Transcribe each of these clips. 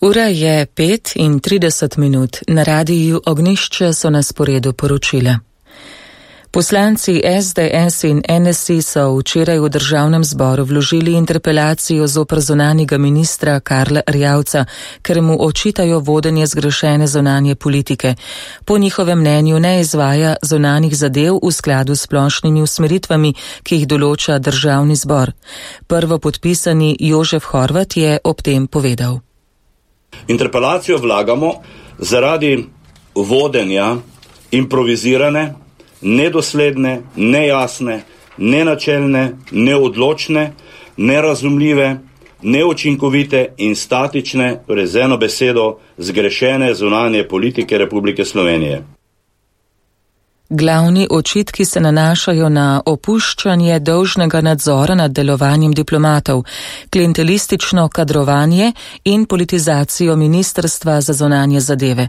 Ura je 5:30, na radiju Ognjišče so na sporedu poročila. Poslanci SDS in NSI so včeraj v državnem zboru vložili interpelacijo zoper zunanjega ministra Karla Erjavca, ker mu očitajo vodenje zgrešene zunanje politike. Po njihovem mnenju ne izvaja zunanjih zadev v skladu s splošnimi usmeritvami, ki jih določa državni zbor. Prvopodpisani Jožef Horvat je ob tem povedal. Interpelacijo vlagamo zaradi vodenja improvizirane, nedosledne, nejasne, nenačelne, neodločne, nerazumljive, neučinkovite in statične, torej z eno besedo, zgrešene zunanje politike Republike Slovenije. Glavni očitki se nanašajo na opuščanje dolžnega nadzora nad delovanjem diplomatov, klientelistično kadrovanje in politizacijo Ministrstva za zunanje zadeve.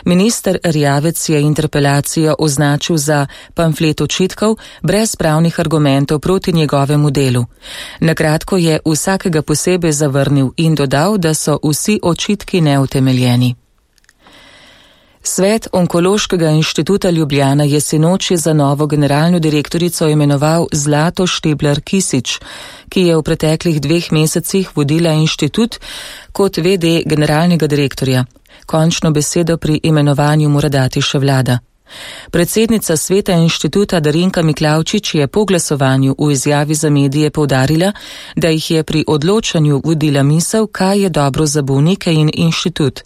Minister Erjavec je interpelacijo označil za pamflet očitkov brez pravnih argumentov proti njegovemu delu. Nakratko je vsakega posebej zavrnil in dodal, da so vsi očitki neutemeljeni. Svet Onkološkega inštituta Ljubljana je sinoči za novo generalno direktorico imenoval Zlato Štiblar Kisič, ki je v preteklih 2 mesecih vodila inštitut kot VD generalnega direktorja. Končno besedo pri imenovanju mora dati še vlada. Predsednica sveta inštituta Darinka Miklavčič je po glasovanju v izjavi za medije poudarila, da jih je pri odločanju vodila misel, kaj je dobro za bolnike in inštitut.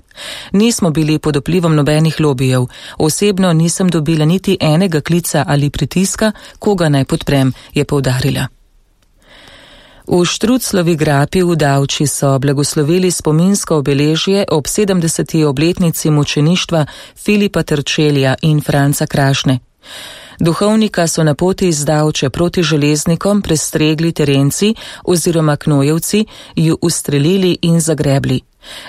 Nismo bili pod vplivom nobenih lobijev, osebno nisem dobila niti enega klica ali pritiska, koga naj podprem, je poudarila. V Štruclovi grapi v Davči so blagoslovili spominsko obeležje ob 70. obletnici mučeništva Filipa Trčelja in Franca Krašne. Duhovnika so na poti iz Davče proti železnikom prestregli terenci oziroma knojevci, ju ustrelili in zagrebli.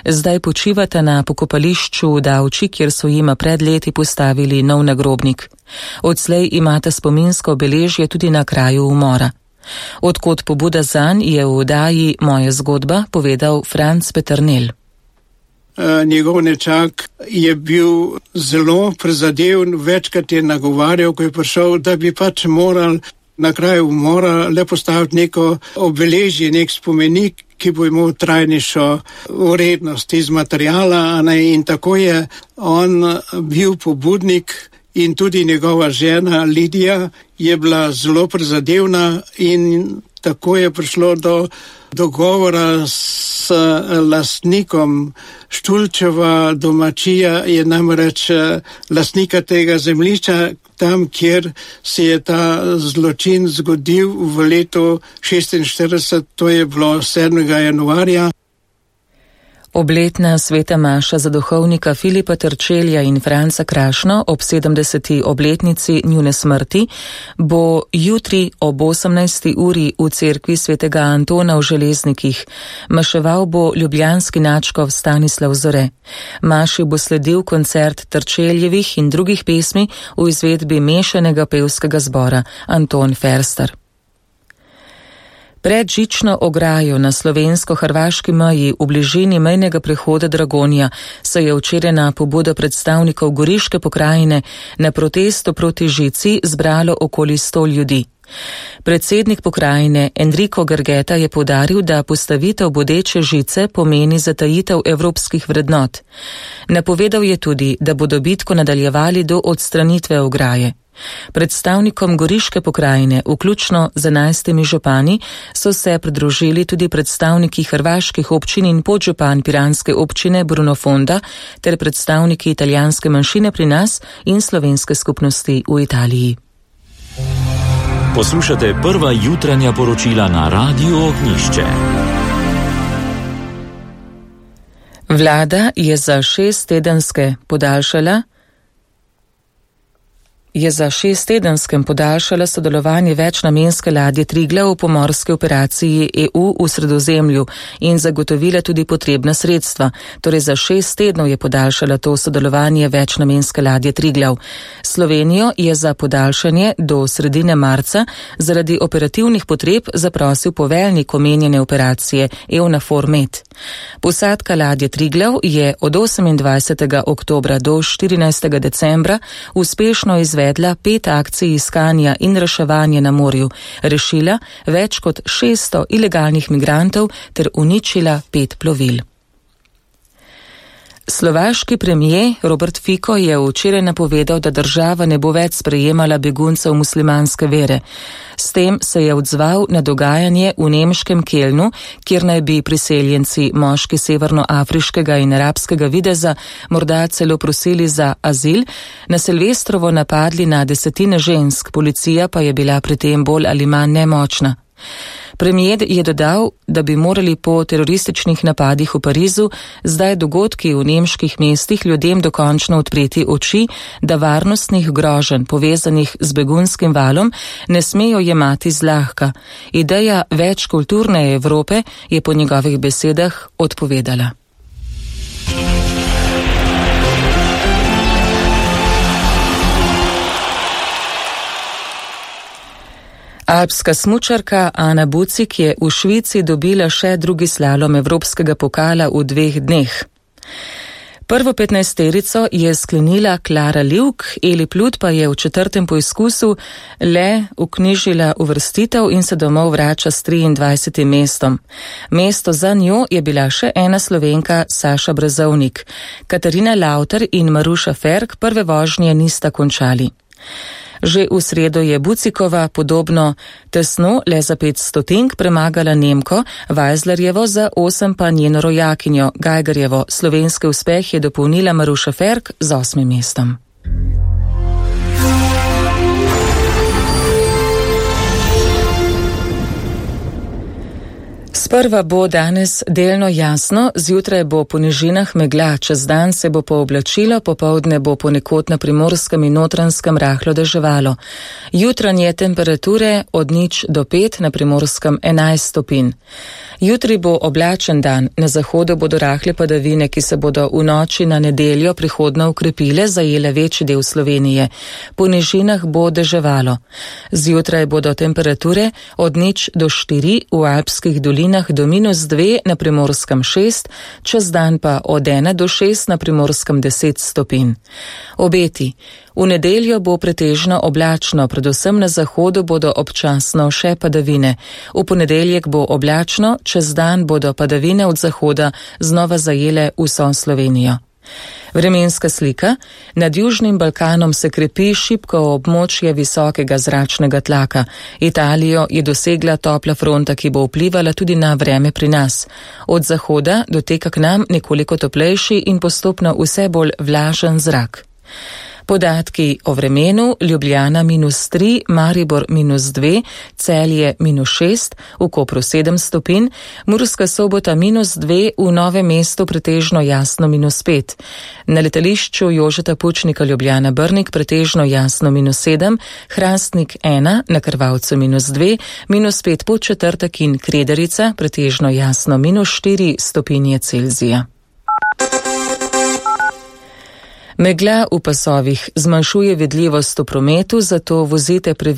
Zdaj počivata na pokopališču v Davči, kjer so jima pred leti postavili nov nagrobnik. Odslej imata spominsko obeležje tudi na kraju umora. Odkot pobuda zanj, je v oddaji Moja zgodba povedal Franc Peternel. Njegov nečak je bil zelo prizadeven, večkrat je nagovarjal, ko je prišel, da bi pač moral na kraju umora le postaviti neko obeležje, nek spomenik, ki bo imel trajnejšo vrednost iz materijala, in tako je on bil pobudnik. In tudi njegova žena Lidija je bila zelo prizadevna in tako je prišlo do dogovora s lastnikom Štulčeva domačija, je namreč lastnika tega zemljišča, tam, kjer se je ta zločin zgodil v letu 1946, to je bilo 7. januarja. Obletna sveta maša za duhovnika Filipa Trčelja in Franca Krašno ob 70. obletnici njune smrti bo jutri ob 18. uri v cerkvi svetega Antona v Železnikih. Maševal bo ljubljanski nadškof Stanislav Zore. Maši bo sledil koncert Trčeljevih in drugih pesmi v izvedbi mešanega pevskega zbora Anton Ferster. Pred žično ograjo na slovensko-hrvaški meji v bližini mejnega prehoda Dragonja se je včeraj na pobudo predstavnikov Goriške pokrajine na protestu proti žici zbralo okoli 100 ljudi. Predsednik pokrajine Enrico Gargeta je poudaril, da postavitev bodeče žice pomeni zatajitev evropskih vrednot. Napovedal je tudi, da bodo bitko nadaljevali do odstranitve ograje. Predstavnikom Goriške pokrajine, vključno z 11 župani, so se pridružili tudi predstavniki hrvaških občin in podžupan piranske občine Bruno Fonda ter predstavniki italijanske manjšine pri nas in slovenske skupnosti v Italiji. Poslušate prva jutranja poročila na Radiju Ognjišče. Vlada je za 6-tedenske podaljšala sodelovanje večnamenske ladje Triglav v pomorski operaciji EU v Sredozemlju in zagotovila tudi potrebna sredstva. Torej za 6 tednov je podaljšala to sodelovanje večnamenske ladje Triglav. Slovenijo je za podaljšanje do sredine marca zaradi operativnih potreb zaprosil poveljnik omenjene operacije EUNAVFOR Med. Posadka ladje Triglav je od 28. oktobra do 14. decembra uspešno izvedla 5 akcij iskanja in reševanja na morju, rešila več kot 600 ilegalnih migrantov ter uničila 5 plovil. Slovaški premijer Robert Fico je včeraj napovedal, da država ne bo več sprejemala beguncev muslimanske vere. S tem se je odzval na dogajanje v nemškem Kelnu, kjer naj bi priseljenci moški severnoafriškega in arabskega videza morda celo prosili za azil, na Silvestrovo napadli na desetine žensk, policija pa je bila pri tem bolj ali manj nemočna. Premijer je dodal, da bi morali po terorističnih napadih v Parizu zdaj dogodki v nemških mestih ljudem dokončno odpreti oči, da varnostnih groženj povezanih z begunskim valom ne smejo jemati zlahka. Ideja večkulturne Evrope je po njegovih besedah odpovedala. Alpska smučarka Ana Bucik je v Švici dobila še drugi slalom evropskega pokala v 2 dneh. Prvo 15-terico je sklenila Klara Livk, Eli Plut pa je v 4. poizkusu le vknjižila uvrstitev in se domov vrača s 23. mestom. Mesto za njo je bila še ena Slovenka, Saša Brezovnik. Katarina Lauter in Maruša Ferk prve vožnje nista končali. Že v sredo je Bucikova podobno tesno, le za 5 stotink, premagala Nemko, Vajzlarjevo za 8 pa njeno rojakinjo Gajgerjevo. Slovenski uspeh je dopolnila Maruša Ferk z 8. mestom. Sprva bo danes delno jasno, zjutraj bo po nižinah megla, čez dan se bo pooblačilo, popoldne bo ponekod na Primorskem in Notranjskem rahlo deževalo. Jutranje temperature od 0 do 5, na Primorskem 11 stopinj. Jutri bo oblačen dan, na zahodu bodo rahle padavine, ki se bodo v noči na nedeljo prihodno ukrepile, zajele večji del Slovenije. Po nižinah bo deževalo. Zjutraj bodo temperature od 0 do 4, v alpskih dolinah do -2, na Primorskem 6, čez dan pa od 1 do 6, na Primorskem 10 stopinj. Obeti. V nedeljo bo pretežno oblačno, predvsem na zahodu bodo občasno še padavine. V ponedeljek bo oblačno, čez dan bodo padavine od zahoda znova zajele vso Slovenijo. Vremenska slika. Nad Južnim Balkanom se krepi šibko območje visokega zračnega tlaka. Italijo je dosegla topla fronta, ki bo vplivala tudi na vreme pri nas. Od zahoda doteka k nam nekoliko toplejši in postopno vse bolj vlažen zrak. Podatki o vremenu: Ljubljana -3, Maribor -2, Celje -6, v Kopru 7 stopinj, Murska Sobota -2, v Novem mestu pretežno jasno -5. Na letališču Jožeta Pučnika Ljubljana Brnik pretežno jasno -7, Hrastnik 1, na Krvavcu -2, -5 Podčetrtek in Krederica pretežno jasno -4 stopinje Celzija. Megla v pasovih zmanjšuje vidljivost v prometu, zato vozite previdno.